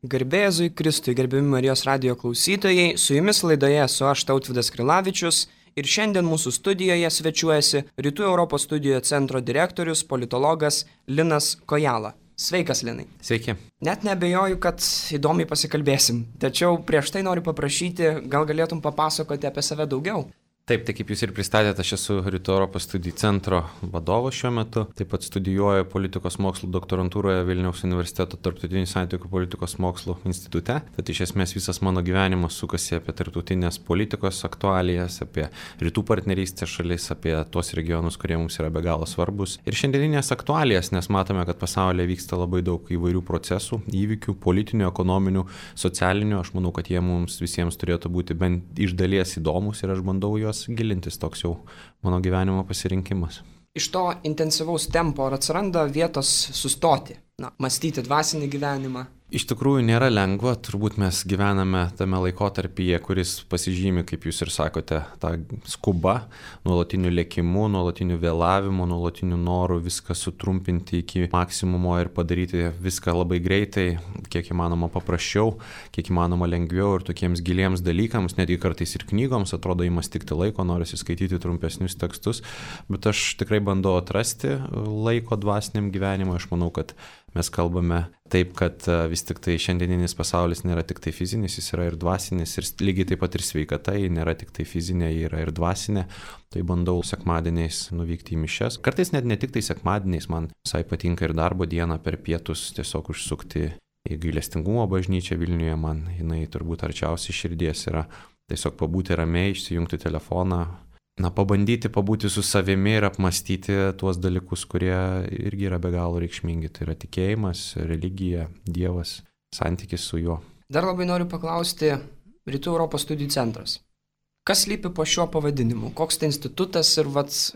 Garbė Jėzui Kristui, gerbiami Marijos radijo klausytojai, su jumis laidoje esu aš Tautvydas Krilavičius ir šiandien mūsų studijoje svečiuojasi Rytų Europos studijų centro direktorius, politologas Linas Kojala. Sveikas, Linai. Sveiki. Net neabejoju, kad įdomiai pasikalbėsim, tačiau prieš tai noriu paprašyti, gal galėtum papasakoti apie save daugiau. Taip, tai kaip jūs ir pristatėte, aš esu Rytų Europos studijų centro vadovas šiuo metu. Taip pat studijuoju politikos mokslų doktorantūroje Vilniaus universiteto tarptautinių santykių politikos mokslų institute. Tad iš esmės visas mano gyvenimas sukasi apie tarptautinės politikos aktualijas, apie rytų partnerystės šalis, apie tuos regionus, kurie mums yra be galo svarbus. Ir šiandieninės aktualijas, nes matome, kad pasaulyje vyksta labai daug įvairių procesų, įvykių, politinių, ekonominių, socialinių. Aš manau, kad jie mums visiems turėtų būti bent iš dalies įdomus ir aš bandau juos gilintis, toks jau mano gyvenimo pasirinkimas. Iš to intensyvaus tempo ar atsiranda vietos sustoti, mąstyti dvasinį gyvenimą? Iš tikrųjų nėra lengva, turbūt mes gyvename tame laikotarpyje, kuris pasižymi, kaip jūs ir sakote, tą skubą, nuolatiniu lėkimu, nuolatiniu vėlavimu, nuolatiniu noru viską sutrumpinti iki maksimumo ir padaryti viską labai greitai, kiek įmanoma paprasčiau, kiek įmanoma lengviau ir tokiems giliems dalykams, netgi kartais ir knygoms atrodo ima stikti laiko, norisi skaityti trumpesnius tekstus, bet aš tikrai bandau atrasti laiko dvasiniam gyvenimui. Aš manau, kad mes kalbame taip, kad vis tik tai šiandieninis pasaulis nėra tik tai fizinis, jis yra ir dvasinis, ir lygiai taip pat ir sveikata, ji nėra tik tai fizinė, ji yra ir dvasinė. Tai bandau sekmadieniais nuvykti į mišias. Kartais net ne tik tai sekmadieniais, man visai patinka ir darbo dieną per pietus tiesiog užsukti į gailestingumo bažnyčią Vilniuje, man jinai turbūt arčiausiai širdies yra tiesiog pabūti ramiai, išsijungti telefoną. Pabandyti pabūti su savimi ir apmastyti tuos dalykus, kurie irgi yra be galo reikšmingi. Tai yra tikėjimas, religija, Dievas, santykis su juo. Dar labai noriu paklausti Rytų Europos studijų centras. Kas slypi po šiuo pavadinimu? Koks tai institutas ir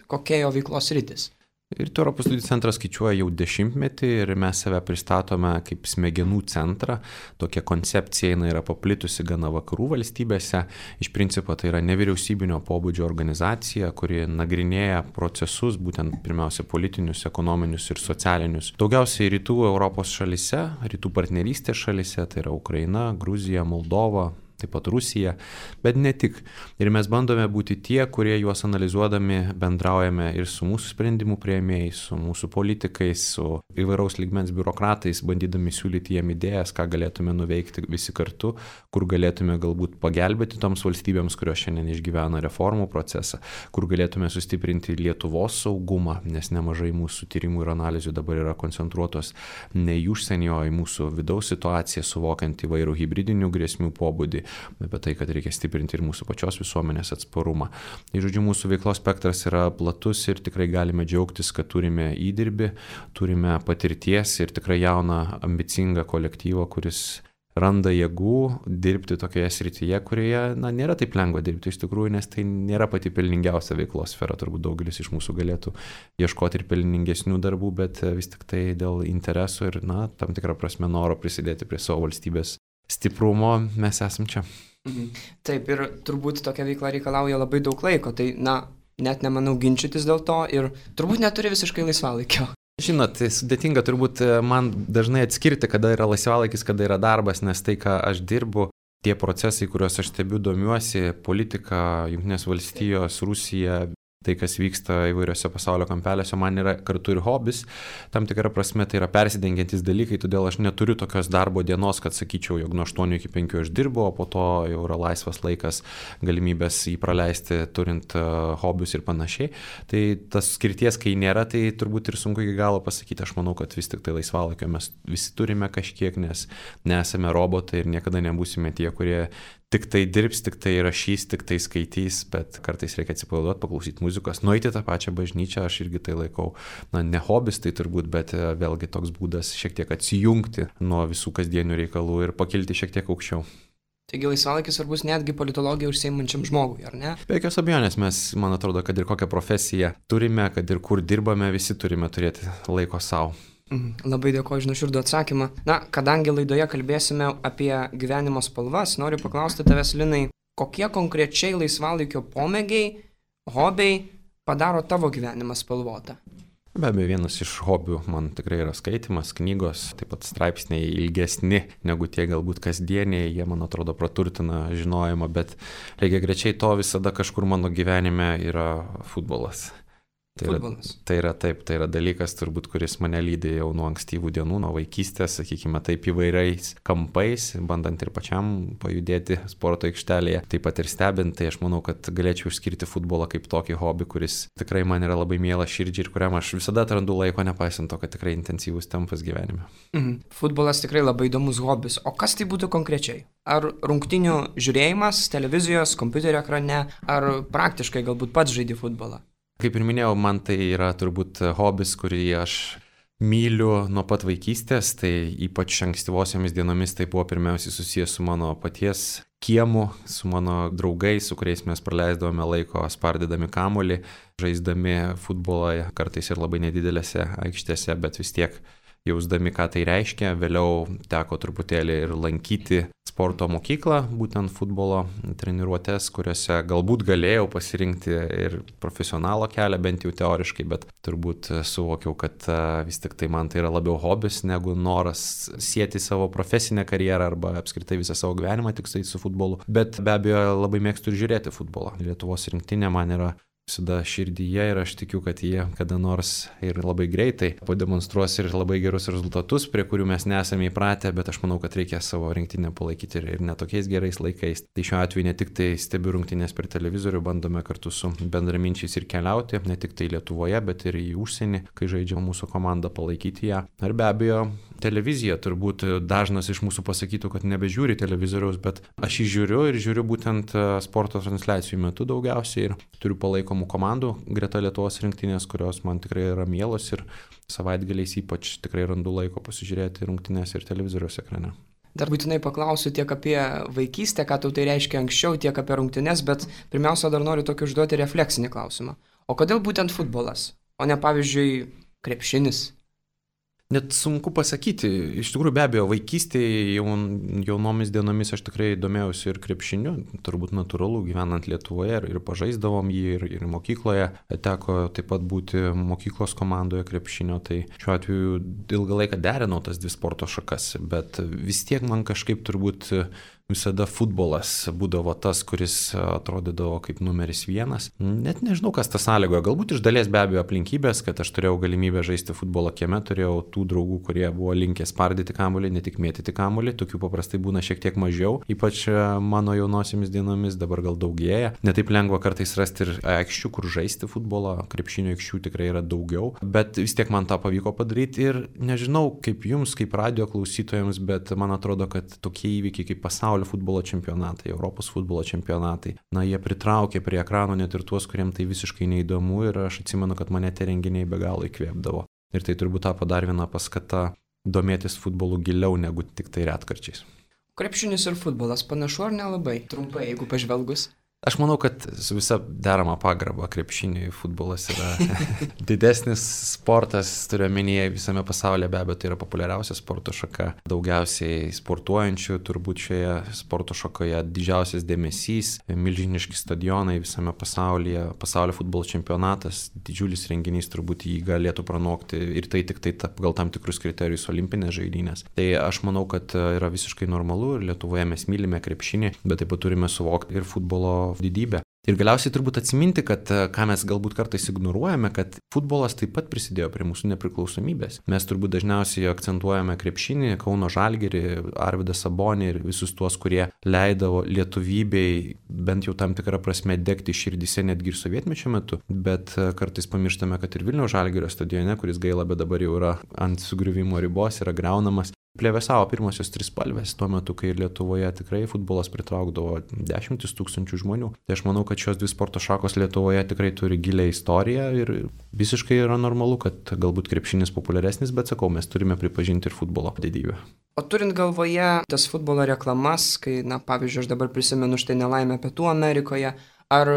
kokia jo veiklos sritis? Rytų Europos studijų centras skaičiuoja jau 10-metį ir mes save pristatome kaip smegenų centrą. Tokia koncepcija yra paplitusi gana vakarų valstybėse. Iš principo tai yra nevyriausybinio pobūdžio organizacija, kuri nagrinėja procesus, būtent pirmiausia politinius, ekonominius ir socialinius. Daugiausiai rytų Europos šalise, rytų partnerystės šalise, tai yra Ukraina, Gruzija, Moldova, taip pat Rusija, bet ne tik. Ir mes bandome būti tie, kurie juos analizuodami bendraujame ir su mūsų sprendimų priėmėjais, su mūsų politikais, su įvairaus lygmens biurokratais, bandydami siūlyti jiem idėjas, ką galėtume nuveikti visi kartu, kur galėtume galbūt pagelbėti toms valstybėms, kurios šiandien išgyvena reformų procesą, kur galėtume sustiprinti Lietuvos saugumą, nes nemažai mūsų tyrimų ir analizių dabar yra koncentruotos ne į užsienį, o į mūsų vidaus situaciją, suvokiant įvairių hibridinių grėsmių pobūdį, apie tai, kad reikia stiprinti ir mūsų pačios visuomenės atsparumą. Tai žodžiu, mūsų veiklos spektras yra platus ir tikrai galime džiaugtis, kad turime įdirbį, turime patirties ir tikrai jauną, ambicingą kolektyvą, kuris randa jėgų dirbti tokioje srityje, kurioje nėra taip lengva dirbti iš tikrųjų, nes tai nėra pati pelningiausia veiklos sfera. Turbūt daugelis iš mūsų galėtų ieškoti ir pelningesnių darbų, bet vis tik tai dėl interesų ir tam tikrą prasme noro prisidėti prie savo valstybės stiprumo mes esam čia. Taip, ir turbūt tokia veikla reikalauja labai daug laiko, tai net nemanau ginčytis dėl to ir turbūt neturi visiškai laisvalaikio. Žinot, sudėtinga turbūt man dažnai atskirti, kada yra laisvalaikis, kada yra darbas, nes tai, ką aš dirbu, tie procesai, kuriuos aš stebiu, domiuosi, politika, Jungtinės valstijos, Rusija, tai, kas vyksta įvairiose pasaulio kampeliuose, man yra kartu ir hobis. Tam tikrą prasme tai yra persidengiantys dalykai, todėl aš neturiu tokios darbo dienos, kad sakyčiau, jog nuo 8 iki 5 aš dirbu, o po to jau yra laisvas laikas, galimybės jį praleisti, turint hobius ir panašiai. Tai tas skirties, kai nėra, tai turbūt ir sunku iki galo pasakyti. Aš manau, kad vis tik tai laisvalaikio mes visi turime kažkiek, nes nesame robotai ir niekada nebūsime tie, kurie tik tai dirbs, tik tai rašys, tik tai skaitys, bet kartais reikia atsipalaiduoti, paklausyti muzikos, nueiti tą pačią bažnyčią, aš irgi tai laikau, ne hobis tai turbūt, bet vėlgi toks būdas šiek tiek atsijungti nuo visų kasdienių reikalų ir pakilti šiek tiek aukščiau. Taigi laisvalaikis svarbus netgi politologija užsiimančiam žmogui, ar ne? Be jokios abejonės, mes, man atrodo, kad ir kokią profesiją turime, kad ir kur dirbame, visi turime turėti laiko savo. Labai dėkoju už nuoširdų atsakymą. Kadangi laidoje kalbėsime apie gyvenimo spalvas, noriu paklausti tavęs, Linai, kokie konkrečiai laisvalaikio pomėgiai, hobiai padaro tavo gyvenimą spalvotą? Be abejo, vienas iš hobių man tikrai yra skaitimas, knygos, taip pat straipsniai ilgesni negu tie galbūt kasdieniai, jie man atrodo praturtina žinojimą, bet lygiagrečiai to visada kažkur mano gyvenime yra futbolas. Tai yra dalykas turbūt, kuris mane lydi jau nuo ankstyvų dienų, nuo vaikystės, sakykime taip, įvairiais kampais, bandant ir pačiam pajudėti sporto aikštelėje, taip pat ir stebint, tai aš manau, kad galėčiau išskirti futbolą kaip tokį hobį, kuris tikrai man yra labai mielas širdžiai ir kuriam aš visada atrandu laiko, nepaisant to, kad tikrai intensyvus tempas gyvenime. Futbolas tikrai labai įdomus hobis, o kas tai būtų konkrečiai? Ar rungtynių žiūrėjimas televizijos, kompiuterio ekrane, ar praktiškai galbūt pats žaidi futbolą? Kaip ir minėjau, man tai yra turbūt hobis, kurį aš myliu nuo pat vaikystės, tai ypač ankstyvosiomis dienomis tai buvo pirmiausiai susijęs su mano paties kiemu, su mano draugais, su kuriais mes praleisdavome laiko spardydami kamuolį, žaisdami futbolą, kartais ir labai nedidelėse aikštėse, bet vis tiek jausdami, ką tai reiškia. Vėliau teko truputėlį ir lankyti sporto mokyklą, būtent futbolo treniruotės, kuriuose galbūt galėjau pasirinkti ir profesionalo kelią, bent jau teoriškai, bet turbūt suvokiau, kad vis tik tai man tai yra labiau hobis negu noras sieti savo profesinę karjerą arba apskritai visą savo gyvenimą tik su futbolu. Bet be abejo labai mėgstu ir žiūrėti futbolą. Lietuvos rinktinė man yra visada širdyje ir aš tikiu, kad jie kada nors ir labai greitai pademonstruos ir labai gerus rezultatus, prie kurių mes nesame įpratę, bet aš manau, kad reikia savo rinktinę palaikyti ir netokiais gerais laikais. Tai šiuo atveju ne tik tai stebiu rungtynes per televizorių, bandome kartu su bendraminčiais ir keliauti, ne tik tai Lietuvoje, bet ir į užsienį, kai žaidžia mūsų komanda, palaikyti ją. Ir be abejo, televizija turbūt dažnas iš mūsų pasakytų, kad nebežiūri televizoriaus, bet aš jį žiūriu ir žiūriu būtent sporto transliacijų metu daugiausiai ir turiu palaikomų komandų greta Lietuvos rinktinės, kurios man tikrai yra mielos ir savaitgaliais ypač tikrai randu laiko pasižiūrėti rungtynes ir televizoriaus ekrane. Dar būtinai paklausiu tiek apie vaikystę, ką tau tai reiškia anksčiau, tiek apie rungtynes, bet pirmiausia dar noriu tokį užduoti refleksinį klausimą. O kodėl būtent futbolas, o ne pavyzdžiui krepšinis? Net sunku pasakyti. Iš tikrųjų, be abejo, vaikystėje jaunomis dienomis aš tikrai domėjausi ir krepšiniu, turbūt natūralu, gyvenant Lietuvoje ir pažaisdavom jį ir mokykloje. Teko taip pat būti mokyklos komandoje krepšinio, tai šiuo atveju ilgą laiką derinau tas dvi sporto šakas, bet vis tiek man kažkaip turbūt visada futbolas būdavo tas, kuris atrodydavo kaip numeris vienas. Net nežinau, kas tą sąlygojo. Galbūt iš dalies be abejo aplinkybės, kad aš turėjau galimybę žaisti futbolą kieme, turėjau tų draugų, kurie buvo linkę spardyti kamuolį, ne tik mėtyti kamuolį. Tokių paprastai būna šiek tiek mažiau, ypač mano jaunosiamis dienomis, dabar gal daugėja. Netaip lengva kartais rasti ir aikščių, kur žaisti futbolą. Krepšinio aikščių tikrai yra daugiau, bet vis tiek man tą pavyko padaryti ir nežinau kaip jums, kaip radijo klausytojams, bet man atrodo, kad tokie įvykiai kaip pasaulio futbolo čempionatai, Europos futbolo čempionatai, jie pritraukė prie ekranų net ir tuos, kuriems tai visiškai neįdomu ir aš atsimenu, kad mane tie renginiai be galo įkvėpdavo. Ir tai turbūt tapo dar viena paskata domėtis futbolu giliau negu tik tai retkarčiais. Krepšinis ir futbolas panašu ar nelabai? Trumpai, jeigu pažvelgus. Aš manau, kad su visa derama pagarba krepšiniui futbolas yra didesnis sportas, turiu omenyje visame pasaulyje, be abejo, tai yra populiariausia sporto šaka. Daugiausiai sportuojančių turbūt šioje sporto šakoje, didžiausias dėmesys, milžiniški stadionai visame pasaulyje, pasaulio futbolo čempionatas, didžiulis renginys turbūt jį galėtų pranokti ir tai tik tai gal tam tikrus kriterijus olimpinės žaidynės. Tai aš manau, kad yra visiškai normalu ir Lietuvoje mes mylime krepšinį, bet taip pat turime suvokti ir futbolo didybę. Ir galiausiai turbūt atsiminti, kad ką mes galbūt kartais ignoruojame, kad futbolas taip pat prisidėjo prie mūsų nepriklausomybės. Mes turbūt dažniausiai akcentuojame krepšinį, Kauno Žalgirį, Arvydą Sabonį ir visus tuos, kurie leidavo lietuvybei bent jau tam tikrą prasme degti širdyse netgi ir sovietmečio metu, bet kartais pamirštame, kad ir Vilniaus Žalgirio stadione, kuris gaila, bet dabar jau yra ant sugriuvimo ribos, yra griaunamas. Plevėsavo pirmosios trispalvės tuo metu, kai Lietuvoje tikrai futbolas pritraukdavo 10 000 žmonių. Tai aš manau, kad šios dvi sporto šakos Lietuvoje tikrai turi gilią istoriją ir visiškai yra normalu, kad galbūt krepšinis populiaresnis, bet sakau, mes turime pripažinti ir futbolo didybę. O turint galvoje tas futbolo reklamas, kai, pavyzdžiui, aš dabar prisimenu štai nelaimę Pietų Amerikoje, ar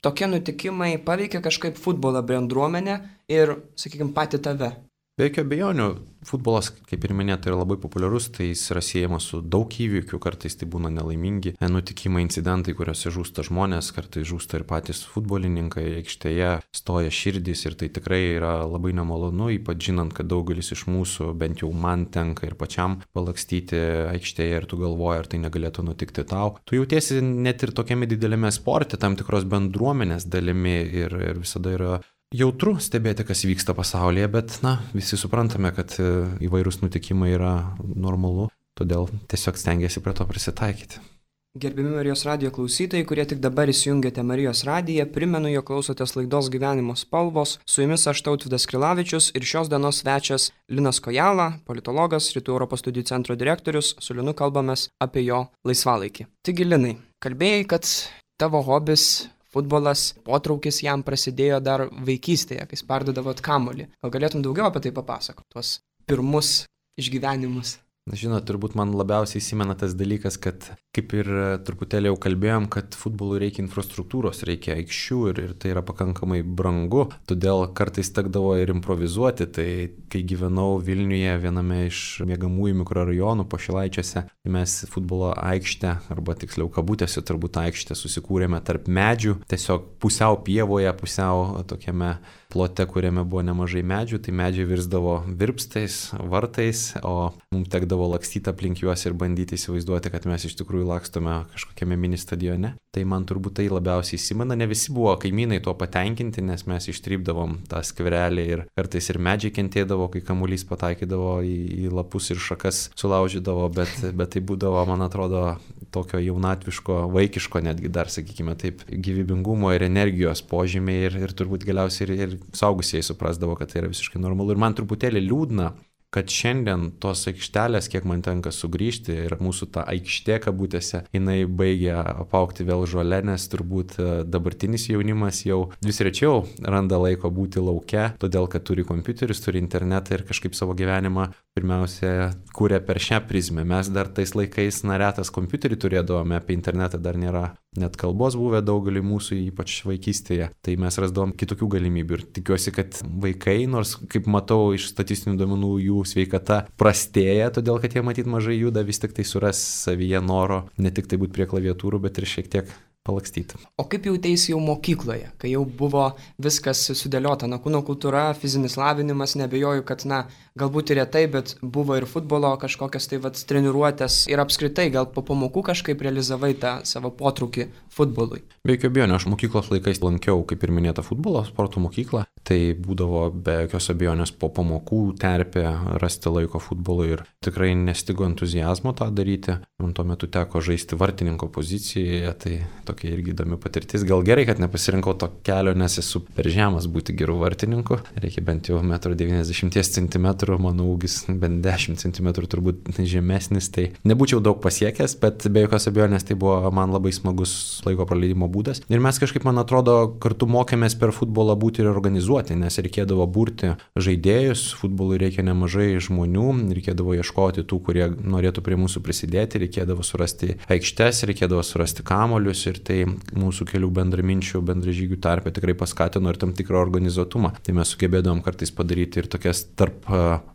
tokie nutikimai paveikia kažkaip futbolo bendruomenę ir, sakykime, patį tave? Be jokio abejonių, futbolas, kaip ir minėta, yra labai populiarus, tai jis yra siejamas su daug įvykių, kartais tai būna nelaimingi nutikimai, incidentai, kuriuose žūsta žmonės, kartais žūsta ir patys futbolininkai, aikštėje stoja širdys ir tai tikrai yra labai nemalonu, ypač žinant, kad daugelis iš mūsų, bent jau man tenka ir pačiam palakstyti aikštėje ir tu galvoji, ar tai negalėtų nutikti tau. Tu jautiesi net ir tokiame didelėme sporte, tam tikros bendruomenės dalimi ir visada yra jautru stebėti, kas vyksta pasaulyje, bet, visi suprantame, kad įvairūs nutikimai yra normalu, todėl tiesiog stengiasi prie to prisitaikyti. Gerbiami Marijos radijo klausytojai, kurie tik dabar įsijungėte Marijos radiją, primenu, jog klausotės laidos Gyvenimo spalvos, su jumis aš Tautvydas Krilavičius ir šios dienos svečias Linas Kojala, politologas, Rytų Europos studijų centro direktorius, su Linu kalbamės apie jo laisvalaikį. Taigi, Linai, kalbėjai, kad tavo hobis futbolas, potraukis jam prasidėjo dar vaikystėje, kai spardydavot kamuolį. Gal galėtum daugiau apie tai papasakoti, tuos pirmus išgyvenimus? Žinot, turbūt man labiausiai įsimena tas dalykas, kad kaip ir truputėlį jau kalbėjom, kad futbolui reikia infrastruktūros, reikia aikščių ir tai yra pakankamai brangu, todėl kartais tekdavo ir improvizuoti. Tai kai gyvenau Vilniuje viename iš miegamųjų mikrorajonų Pašilaičiuose, mes futbolo aikštę, arba tiksliau kabutėse turbūt aikštę susikūrėme tarp medžių, tiesiog pusiau pievoje, pusiau tokiame plote, kuriame buvo nemažai medžių, tai medžiai virsdavo virpstais, vartais, o mums tekdavo lakstyti aplink juos ir bandyti įsivaizduoti, kad mes iš tikrųjų lakstome kažkokiame mini stadione. Tai man turbūt tai labiausiai įsimena. Ne visi buvo kaimynai tuo patenkinti, nes mes ištrypdavom tą skverelį ir kartais ir medžiai kentėdavo, kai kamuolys pataikydavo į lapus ir šakas sulaužydavo, bet tai būdavo, man atrodo, tokio jaunatviško, vaikiško netgi dar, sakykime taip, gyvybingumo ir energijos požymiai ir turbūt galiausiai ir suaugusieji suprasdavo, kad tai yra visiškai normalu. Ir man truputėlį liūdna, kad šiandien tos aikštelės, kiek man tenka sugrįžti, ir mūsų ta aikštė kabutėse, jinai baigia apaugti vėl žole, nes turbūt dabartinis jaunimas jau vis rečiau randa laiko būti lauke, todėl kad turi kompiuterius, turi internetą ir kažkaip savo gyvenimą pirmiausia kūrė per šią prizmę. Mes dar tais laikais retas kompiuterį turėdavome, apie internetą dar nėra net kalbos buvę daugeliui mūsų, ypač vaikystėje, tai mes rasdavom kitokių galimybių ir tikiuosi, kad vaikai, nors kaip matau iš statistinių duomenų, jų sveikata prastėja, todėl kad jie matyt mažai juda, vis tik tai suras savyje noro ne tik tai būti prie klaviatūrų, bet ir šiek tiek palakstyti. O kaip jautėsi jau mokykloje, kai jau buvo viskas sudėliota, kūno kultūra, fizinis lavinimas, nebejoju, kad, galbūt ir retai, bet buvo ir futbolo kažkokios tai treniruotės ir apskritai gal po pamokų kažkaip realizavai tą savo potraukį futbolui. Be jokio abejonės, aš mokyklos laikais lankiau, kaip ir minėta, futbolo sporto mokyklą, tai būdavo be jokios abejonės po pamokų terpė rasti laiko futbolui ir tikrai nestigo entuziazmo tą daryti. Man tuo metu teko žaisti vartininko pozicijoje, tai tokia irgi įdomi patirtis. Gal gerai, kad nepasirinkau to kelio, nes esu per žemas būti gerų vartininkų. Reikia bent jau 1,90 cm, mano ūgis bent 10 cm turbūt žemesnis, tai nebūčiau daug pasiekęs, bet be jokios abejonės tai buvo man labai smagus laiko praleidimo būdas. Ir mes kažkaip, man atrodo, kartu mokėmės per futbolą būti ir organizuoti, nes reikėdavo burti žaidėjus, futbolui reikia nemažai žmonių, reikėdavo ieškoti tų, kurie norėtų prie mūsų prisidėti, reikėdavo surasti aikštes, reikėdavo surasti kamuolius ir tai mūsų kelių bendraminčių, bendražygių tarpe tikrai paskatino ir tam tikrą organizuotumą. Tai mes sugebėdavom kartais padaryti ir tokias tarp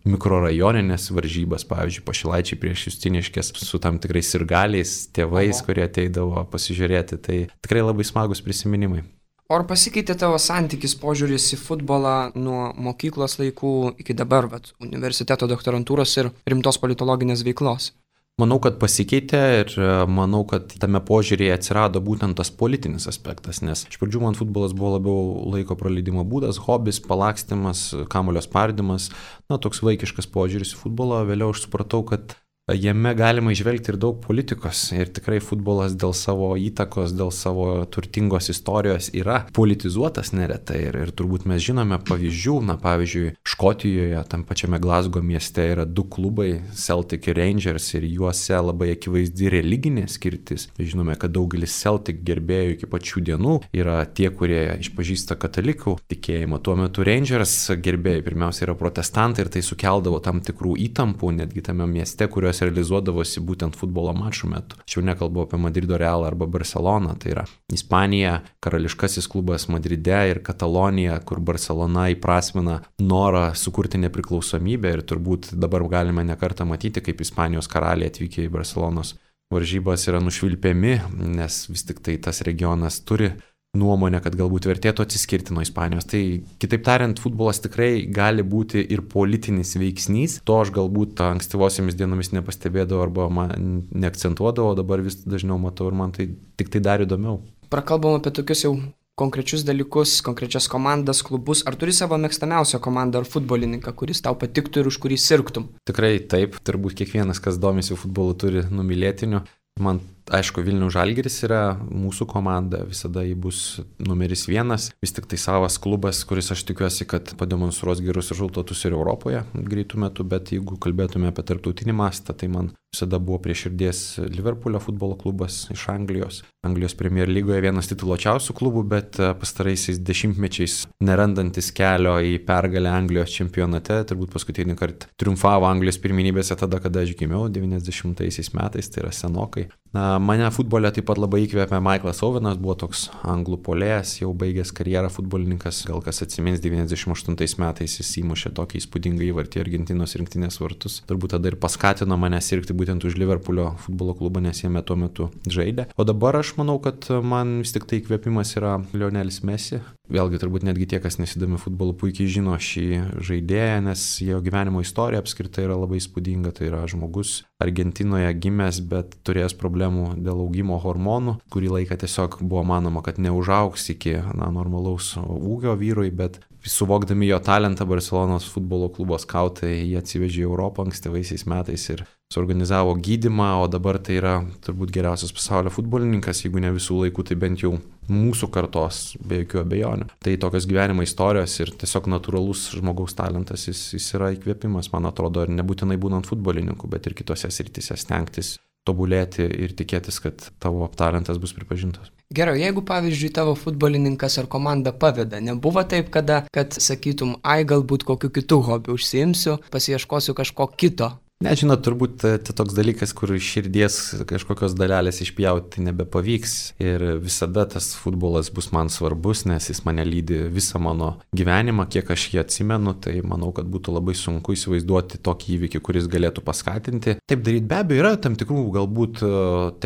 mikrorajoninės varžybas, pavyzdžiui, Pašilaičiai prieš Justiniškes su tam tikrais sirgaliais, tėvais, kurie ateidavo pasižiūrėti. Tai tikrai labai smagus prisiminimai. O ar pasikeitė tavo santykis, požiūris į futbolą nuo mokyklos laikų iki dabar, universiteto doktorantūros ir rimtos politologinės veiklos? Manau, kad pasikeitė ir manau, kad tame požiūrėje atsirado būtent tas politinis aspektas, nes iš pradžių man futbolas buvo labiau laiko praleidimo būdas, hobis, palakstymas, kamuolio spardymas, toks vaikiškas požiūris į futbolą. Vėliau aš supratau, kad jame galima įžvelgti ir daug politikos ir tikrai futbolas dėl savo įtakos, dėl savo turtingos istorijos yra politizuotas neretai ir turbūt mes žinome pavyzdžių, pavyzdžiui, Škotijoje, tam pačiame Glasgow mieste yra 2 klubai, Celtic ir Rangers, ir juose labai akivaizdi religinė skirtis. Žinome, kad daugelis Celtic gerbėjų iki pačių dienų yra tie, kurie išpažįsta katalikų tikėjimą. Tuo metu Rangers gerbėjai pirmiausia yra protestantai ir tai sukeldavo tam tikrų įtampų netgi tame mieste, kuriuose kurios realizuodavosi būtent futbolo mačų metu. Aš jau nekalbu apie Madrido Realą arba Barceloną, tai yra Ispanija, karališkasis klubas Madride ir Katalonija, kur Barcelona įprasmina norą sukurti nepriklausomybę ir turbūt dabar galime nekartą matyti, kaip Ispanijos karaliai atvykę į Barcelonos varžybas yra nušvilpiami, nes vis tik tai tas regionas turi nuomonę, kad galbūt vertėtų atsiskirti nuo Ispanijos. Tai kitaip tariant, futbolas tikrai gali būti ir politinis veiksnys. To aš galbūt ankstyvosiamis dienomis nepastebėdavau arba man neakcentuodavau, dabar vis dažniau matau ir man tai tik tai dar įdomiau. Prakalbam apie tokius jau konkrečius dalykus, konkrečias komandas, klubus. Ar turi savo mėgstamiausią komandą ar futbolininką, kuris tau patiktų ir už kurį sirgtum? Tikrai taip, turbūt kiekvienas, kas domisi futbolu, turi numylėtinių. Man, aišku, Vilniaus Žalgiris yra mūsų komanda, visada ji bus numeris 1, vis tik tai savas klubas, kuris aš tikiuosi, kad pademonstruos gerus rezultatus ir Europoje greitų metų, bet jeigu kalbėtume apie tarptautinį mastą, tai man visada buvo prie širdies Liverpoolio futbolo klubas iš Anglijos. Anglijos Premier lygoje vienas tituluočiausių klubų, bet pastaraisiais dešimtmečiais nerandantis kelio į pergalę Anglijos čempionate, turbūt paskutinį kartą triumfavo Anglijos pirmenybėse tada, kada aš gimiau, 90-aisiais metais, tai yra senokai. Mane futbole taip pat labai įkvėpė Michaelas Owenas, buvo toks anglų puolėjas, jau baigęs karjerą futbolininkas, gal kas atsimins, 98 metais jis įmušė tokį įspūdingą įvartį Argentinos rinktinės vartus. Turbūt tada ir paskatino mane sirgti būtent už Liverpoolio futbolo klubą, nes jame tuo metu žaidė. O dabar aš manau, kad man vis tik tai įkvėpimas yra Lionelis Messi. Vėlgi turbūt netgi tie, kas nesidomi futbolu, puikiai žino šį žaidėją, nes jo gyvenimo istorija apskritai yra labai įspūdinga. Tai yra žmogus Argentinoje gimęs, bet turėjęs problemų dėl augimo hormonų. Kurį laiką tiesiog buvo manoma, kad neužaugs iki normalaus ūgio vyrui, bet suvokdami jo talentą, Barcelonos futbolo klubo skautai jį atsivežė į Europą ankstyvaisiais metais ir suorganizavo gydymą, o dabar tai yra turbūt geriausias pasaulio futbolininkas, jeigu ne visų laikų, tai bent jau mūsų kartos, be jokių abejonių. Tai tokios gyvenimo istorijos ir tiesiog natūralus žmogaus talentas, jis yra įkvėpimas, man atrodo, ir nebūtinai būnant futbolininku, bet ir kitose srityse stengtis tobulėti ir tikėtis, kad tavo talentas bus pripažintas. Gerai, jeigu pavyzdžiui tavo futbolininkas ar komanda paveda, nebuvo taip, kad sakytum, galbūt kokiu kitu hobiu užsiimsiu, pasiieškosiu kažko kito? Nežinot, turbūt tai toks dalykas, kur iš širdies kažkokios dalelės išpjauti nebepavyks ir visada tas futbolas bus man svarbus, nes jis mane lydi visą mano gyvenimą, kiek aš jį atsimenu, tai manau, kad būtų labai sunku įsivaizduoti tokį įvykį, kuris galėtų paskatinti. Taip daryti be abejo yra tam tikrų galbūt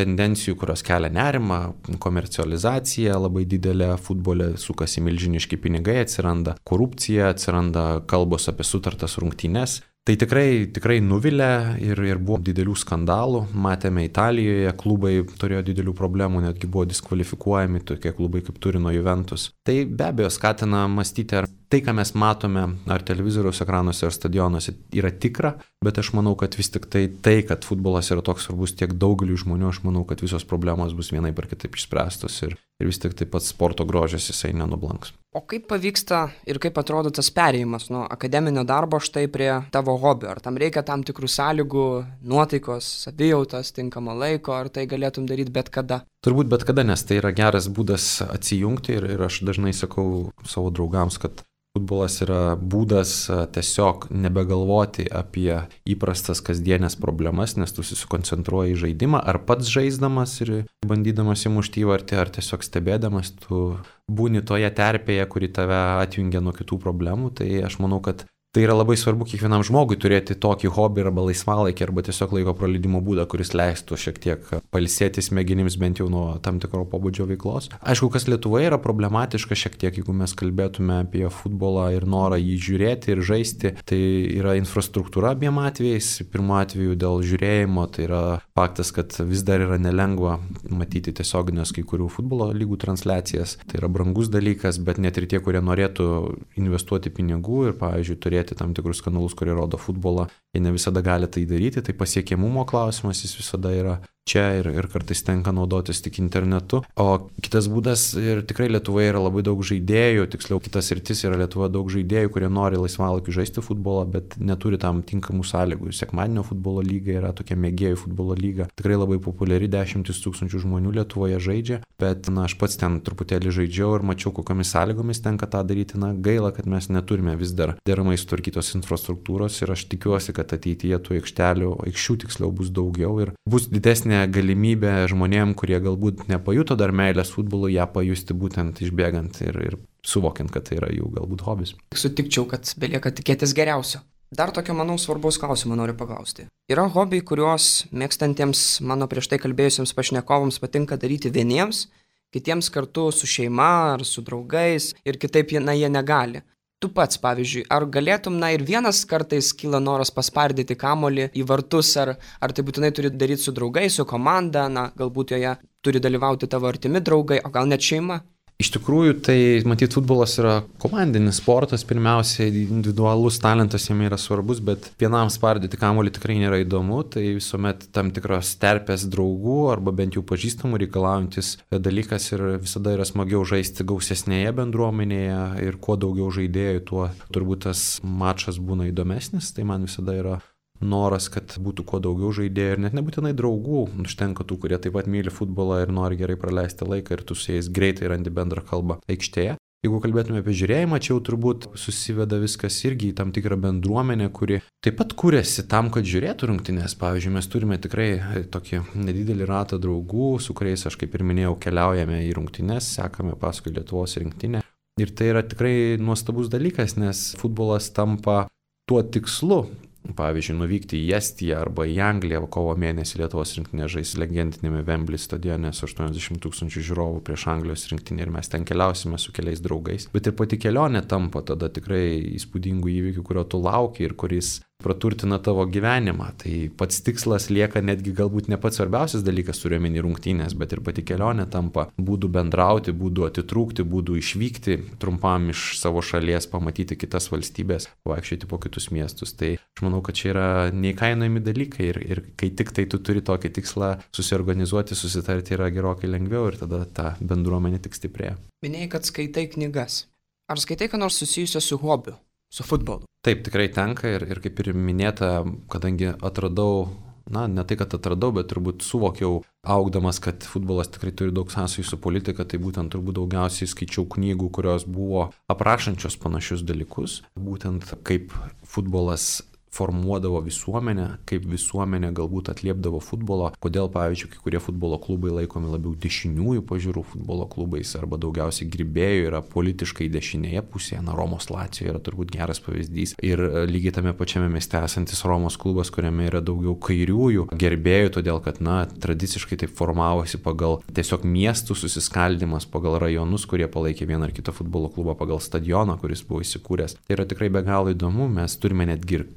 tendencijų, kurios kelia nerimą, komercializacija labai didelė, futbole sukasi milžiniški pinigai, atsiranda korupcija, atsiranda kalbos apie sutartas rungtynes. Tai tikrai nuvilia ir buvo didelių skandalų. Matėme Italijoje, klubai turėjo didelių problemų, netgi buvo diskvalifikuojami tokie klubai kaip Turino Juventus. Tai be abejo skatina mąstyti, ar tai, ką mes matome, ar televizoriaus ekranuose, ar stadionuose, yra tikra, bet aš manau, kad vis tik tai, kad futbolas yra toks svarbus tiek daugeliu žmonių, aš manau, kad visos problemos bus vienaip ar kitaip išspręstos ir vis tik taip pat sporto grožis jisai nenublanks. O kaip pavyksta ir kaip atrodo tas perėjimas nuo akademinio darbo štai prie tavo hobio? Ar tam reikia tam tikrų sąlygų, nuotaikos, savijautos, tinkamo laiko, ar tai galėtum daryti bet kada? Turbūt bet kada, nes tai yra geras būdas atsijungti ir aš dažnai sakau savo draugams, kad futbolas yra būdas tiesiog nebegalvoti apie įprastas kasdienės problemas, nes tu susikoncentruoji į žaidimą, ar pats žaisdamas ir bandydamas įmušti įvartį, ar tiesiog stebėdamas, tu būni toje terpėje, kuri tave atjungia nuo kitų problemų. Tai aš manau, kad tai yra labai svarbu kiekvienam žmogui turėti tokį hobį arba laisvalaikį arba tiesiog laiko praleidimo būdą, kuris leistų šiek tiek pailsėti smegenims bent jau nuo tam tikro pobūdžio veiklos. Aišku, kas Lietuvoje yra problematiška šiek tiek, jeigu mes kalbėtume apie futbolą ir norą jį žiūrėti ir žaisti, tai yra infrastruktūra abiem atvejais. Pirmu atveju dėl žiūrėjimo, tai yra faktas, kad vis dar yra nelengva matyti tiesioginės kai kurių futbolo lygų transliacijas. Tai yra brangus dalykas, bet net ir tie, kurie norėtų investuoti pinigų ir, pavyzdžiui, turėti tam tikrus kanalus, kurie rodo futbolą, jie ne visada gali tai daryti, tai pasiekiamumo klausimas jis visada yra čia ir kartais tenka naudotis tik internetu. O kitas būdas, ir tikrai Lietuvoje yra labai daug žaidėjų, tiksliau kitas sritis yra Lietuvoje daug žaidėjų, kurie nori laisvalaikiu žaisti futbolą, bet neturi tam tinkamų sąlygų. Sekmadienio futbolo lyga yra tokia mėgėjų futbolo lyga, tikrai labai populiari, 10 000 žmonių Lietuvoje žaidžia, bet aš pats ten truputėlį žaidžiau ir mačiau, kokiamis sąlygomis tenka tą daryti. Gaila, kad mes neturime vis dar deramai sutvarkytos infrastruktūros ir aš tikiuosi, kad ateityje tų aikščių tiksliau bus daugiau ir bus didesnė galimybė žmonėm, kurie galbūt nepajuto dar meilės futbolui, ją pajusti būtent išbėgant ir suvokiant, kad tai yra jų galbūt hobis. Sutikčiau, kad belieka tikėtis geriausio. Dar tokio, manau, svarbaus klausimo noriu paklausti. Yra hobiai, kuriuos mėgstantiems mano prieš tai kalbėjusiems pašnekovams patinka daryti vieniems, kitiems kartu su šeima ar su draugais ir kitaip jie negali. Tu pats, pavyzdžiui, ar galėtum, ir vienas kartais kyla noras paspardyti kamuolį į vartus, ar tai būtinai turi daryti su draugais, su komanda, galbūt joje turi dalyvauti tavo artimi draugai, o gal net šeima? Iš tikrųjų, tai matyt, futbolas yra komandinis sportas, pirmiausia, individualus talentas jame yra svarbus, bet vienam spardyti kamuolį tikrai nėra įdomu, tai visuomet tam tikros terpės draugų arba bent jau pažįstamų reikalaujantis dalykas ir visada yra smagiau žaisti gausesnėje bendruomenėje ir kuo daugiau žaidėjų, tuo turbūt tas mačas būna įdomesnis, tai man visada yra noras, kad būtų kuo daugiau žaidėjų ir net nebūtinai draugų, užtenka tų, kurie taip pat myli futbolą ir nori gerai praleisti laiką ir tu su jais greitai randi bendrą kalbą aikštėje. Jeigu kalbėtume apie žiūrėjimą, čia jau turbūt susiveda viskas irgi į tam tikrą bendruomenę, kuri taip pat kūrėsi tam, kad žiūrėtų rungtynes. Pavyzdžiui, mes turime tikrai tokį nedidelį ratą draugų, su kuriais, aš kaip ir minėjau, keliaujame į rungtynes, sekame paskui Lietuvos rinktinę. Ir tai yra tikrai nuostabus dalykas, nes futbolas tampa tuo tikslu. Pavyzdžiui, nuvykti į Estiją arba į Angliją, kovo mėnesį Lietuvos rinktinė žais legendinėme Wembley stadione su 80 000 žiūrovų prieš Anglijos rinktinę ir mes ten keliausime su keliais draugais. Bet ir pati kelionė tampa tada tikrai įspūdingų įvykių, kurio tu lauki ir kuris praturtina tavo gyvenimą. Tai pats tikslas lieka netgi galbūt ne pats svarbiausias dalykas, turiuomenį rungtynės, bet ir pati kelionė tampa būdų bendrauti, būdų atitrūkti, būdų išvykti trumpam iš savo šalies, pamatyti kitas valstybės, vaikščioti po kitus miestus. Tai aš manau, kad čia yra neįkainojami dalykai ir kai tik tai tu turi tokį tikslą susiorganizuoti, susitarti yra gerokai lengviau ir tada ta bendruomenė tik stiprėja. Minėjai, kad skaitai knygas. Ar skaitai ką nors susijusio su hobiu, su futbolu? Taip, tikrai tenka ir kaip ir minėta, kadangi atradau, ne tai, kad atradau, bet turbūt suvokiau augdamas, kad futbolas tikrai turi daug sąsajų su politika, tai būtent turbūt daugiausiai skaičiau knygų, kurios buvo aprašančios panašius dalykus, būtent kaip futbolas formuodavo visuomenę, kaip visuomenė galbūt atliepdavo futbolo, kodėl, pavyzdžiui, kai kurie futbolo klubai laikomi labiau dešiniųjų pažiūrų futbolo klubais arba daugiausiai grybėjų yra politiškai dešinėje pusėje, Romos Lazio yra turbūt geras pavyzdys ir lygiai tame pačiame mieste esantis Romos klubas, kuriame yra daugiau kairiųjų gerbėjų, todėl kad, tradiciškai taip formavosi pagal tiesiog miestų susiskaldimas, pagal rajonus, kurie palaikė vieną ar kitą futbolo klubą, pagal stadioną, kuris buvo įsikūręs. Tai yra tikrai be galo įdomu, mes turime netgi ir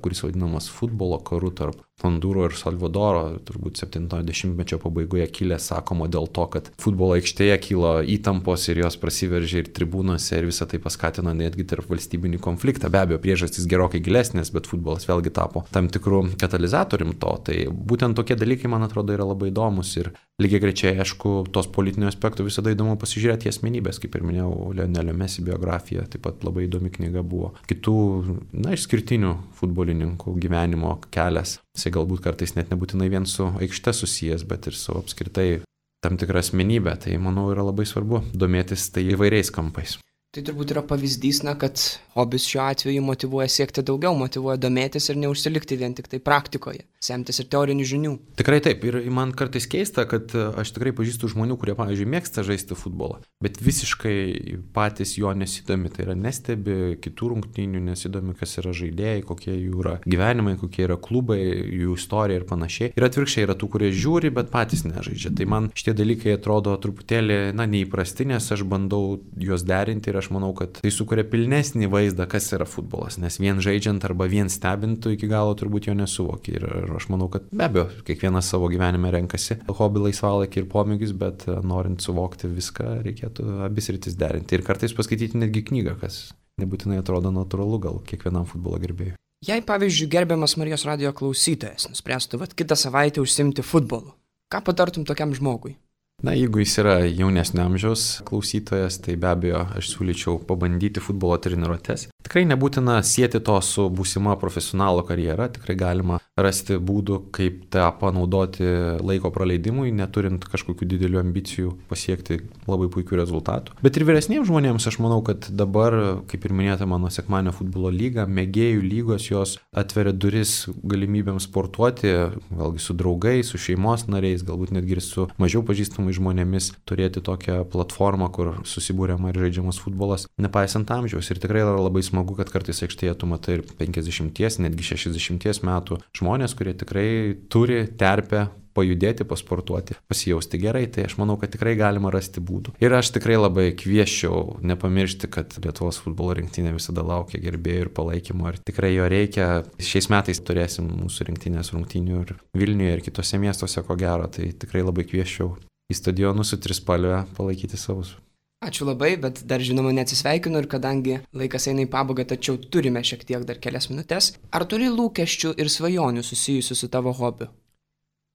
kuris vadinamas futbolo karu tarp Hondūro ir Salvadoro, turbūt 70-mečio pabaigoje kilęs, sakoma, dėl to, kad futbolo aikštėje kilo įtampos ir jos prasiveržė ir tribūnose ir visą tai paskatino netgi tarp valstybinį konfliktą. Be abejo, priežastys gerokai gilesnės, bet futbolas vėlgi tapo tam tikrų katalizatorium to. Tai būtent tokie dalykai, man atrodo, yra labai įdomus ir lygiai grečiai, aišku, tos politinių aspektų visada įdomu pasižiūrėti į asmenybės, kaip ir minėjau, Lionelio Messi biografija, taip pat labai įdomi knyga buvo. Kitų, išskirtinių futbolininkų gyvenimo kelias. Jisai galbūt kartais net nebūtinai vien su aikšte susijęs, bet ir su apskritai tam tikra asmenybė. Tai, manau, yra labai svarbu domėtis tai įvairiais kampais. Tai turbūt yra pavyzdys, kad hobis šiuo atveju motyvuoja siekti daugiau, motyvuoja domėtis ir neužsilikti vien tik tai praktikoje, semtis ir teorinių žinių. Tikrai taip. Ir man kartais keista, kad aš tikrai pažįstu žmonių, kurie, pavyzdžiui, mėgsta žaisti futbolą, bet visiškai patys jo nesidomi. Tai yra nestebi kitų rungtynių, nesidomi, kas yra žaidėjai, kokie jų yra gyvenimai, kokie yra klubai, jų istorija ir panašiai. Ir atvirkščiai yra tų, kurie žiūri, bet patys nežaidžia. Tai man šitie dalykai atrodo truputėlį, neįprasti, nes aš bandau juos derinti ir aš manau, kad tai sukuria pilnesnį vaizdą, kas yra futbolas, nes vien žaidžiant arba vien stebintų iki galo turbūt jo nesuvoki. Ir aš manau, kad be abejo, kiekvienas savo gyvenime renkasi hobį, laisvalaikį ir pomėgius, bet norint suvokti viską, reikėtų abi sritis derinti. Ir kartais paskaityti netgi knygą, kas nebūtinai atrodo natūralu gal kiekvienam futbolo gerbėjui. Jei, pavyzdžiui, gerbiamas Marijos radijo klausytojas nuspręstų kitą savaitę užsiimti futbolu, Ką patartum tokiam žmogui? Na, jeigu jis yra jaunesnio amžiaus klausytojas, tai be abejo aš siūlyčiau pabandyti futbolo treniruotes. Tikrai nebūtina sieti to su būsima profesionalo karjera, tikrai galima rasti būdų, kaip tą panaudoti laiko praleidimui, neturint kažkokių didelių ambicijų pasiekti labai puikių rezultatų. Bet ir vyresniems žmonėms aš manau, kad dabar, kaip ir minėta mano sekmadienio futbolo lyga, mėgėjų lygos jos atveria duris galimybėms sportuoti, vėlgi su draugais, su šeimos nariais, galbūt netgi ir su mažiau pažįstamais žmonėmis, turėti tokią platformą, kur susibūriama ir žaidžiamas futbolas, nepaisant amžiaus. Ir tikrai yra labai smagu, kad kartais aikštėje tu matai ir 50, netgi 60 metų žmonės, kurie tikrai turi terpę pajudėti, pasportuoti, pasijausti gerai, tai aš manau, kad tikrai galima rasti būdų. Ir aš tikrai labai kviesčiau nepamiršti, kad Lietuvos futbolo rinktinė visada laukia gerbėjų ir palaikymo ir tikrai jo reikia. Šiais metais turėsim mūsų rinktinės rungtynių ir Vilniuje ir kitose miestuose, ko gero, tai tikrai labai kviesčiau į stadionus su trispalve palaikyti savus. Ačiū labai, bet dar žinoma neatsisveikinu ir kadangi laikas eina į pabaigą, tačiau turime šiek tiek dar kelias minutės. Ar turi lūkesčių ir svajonių susijusių su tavo hobiu?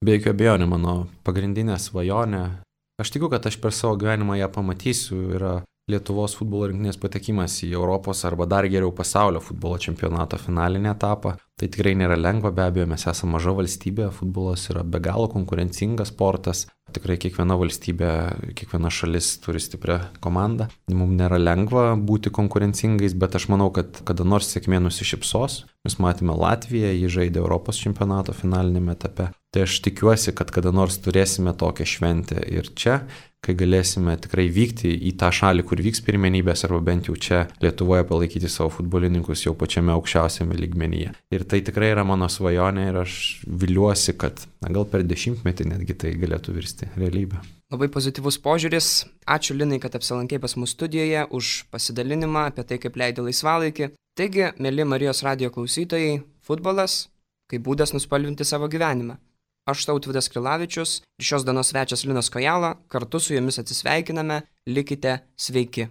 Be jokių abejonių, mano pagrindinė svajonė, aš tikiu, kad aš per savo gyvenimą ją pamatysiu, yra Lietuvos futbolo rinktinės patekimas į Europos arba dar geriau pasaulio futbolo čempionato finalinį etapą. Tai tikrai nėra lengva, be abejo, mes esame maža valstybė, futbolas yra be galo konkurencingas sportas. Tikrai kiekviena valstybė, kiekviena šalis turi stiprią komandą. Mums nėra lengva būti konkurencingais, bet aš manau, kad kada nors sėkmė nusišypsos. Mes matėme Latviją, ji žaidė Europos čempionato finalinėme etape. Tai aš tikiuosi, kad kada nors turėsime tokią šventę ir čia, kai galėsime tikrai vykti į tą šalį, kur vyks pirmenybės, arba bent jau čia Lietuvoje palaikyti savo futbolininkus jau pačiame aukščiausiame lygmenyje. Ir tai tikrai yra mano svajonė ir aš viliuosi, kad gal per 10 netgi tai galėtų virsti realybę. Labai pozityvus požiūris. Ačiū Linai, kad apsilankei pas mus studijoje, už pasidalinimą apie tai, kaip leidi laisvalaikį. Taigi, mėly Marijos radijo klausytojai, futbolas kaip būdas nuspalvinti savo gyvenimą. Aš Tautvydas Krilavičius ir šios dienos svečias Linas Kojala, kartu su jumis atsisveikiname, likite sveiki.